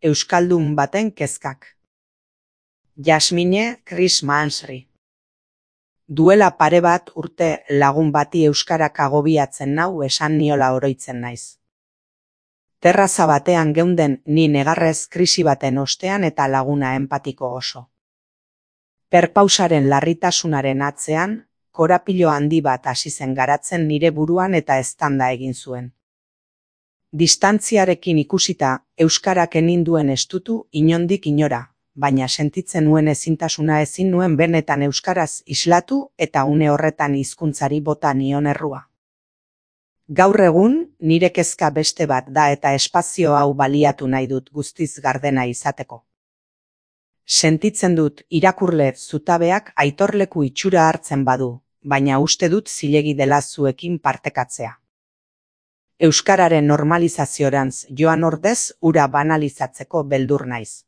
Euskaldun baten kezkak. Jasmine Chris Mansry. Duela pare bat urte lagun bati euskarak agobiatzen nau esan niola oroitzen naiz. Terraza batean geunden ni negarrez krisi baten ostean eta laguna enpatiko oso. Perpausaren larritasunaren atzean, korapilo handi bat hasi zen garatzen nire buruan eta eztanda egin zuen. Distantziarekin ikusita, euskarak eninduen estutu inondik inora, baina sentitzen nuen ezintasuna ezin nuen benetan euskaraz islatu eta une horretan hizkuntzari bota nion errua. Gaur egun, nire kezka beste bat da eta espazio hau baliatu nahi dut guztiz gardena izateko. Sentitzen dut irakurle zutabeak aitorleku itxura hartzen badu, baina uste dut zilegi dela zuekin partekatzea. Euskararen normalizaziorantz joan ordez ura banalizatzeko beldur naiz.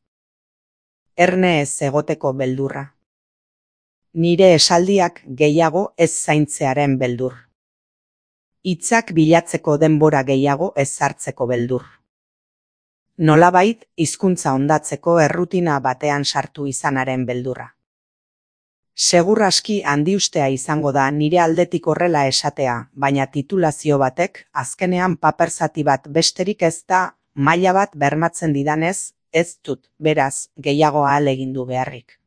Erne ez egoteko beldurra. Nire esaldiak gehiago ez zaintzearen beldur. Hitzak bilatzeko denbora gehiago ez hartzeko beldur. Nolabait, hizkuntza hondatzeko errutina batean sartu izanaren beldurra. Segur aski handiustea izango da nire aldetik horrela esatea, baina titulazio batek azkenean paper zati bat besterik ez da maila bat bermatzen didanez, ez dut, beraz, gehiago ahalegindu beharrik.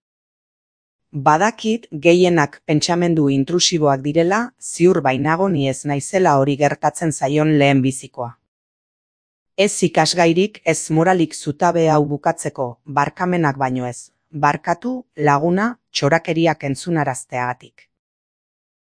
Badakit gehienak pentsamendu intrusiboak direla, ziur bainago ni ez naizela hori gertatzen zaion lehen bizikoa. Ez ikasgairik ez moralik zutabe hau bukatzeko, barkamenak baino ez. Barkatu, laguna, txorakeriak entzunarazteagatik.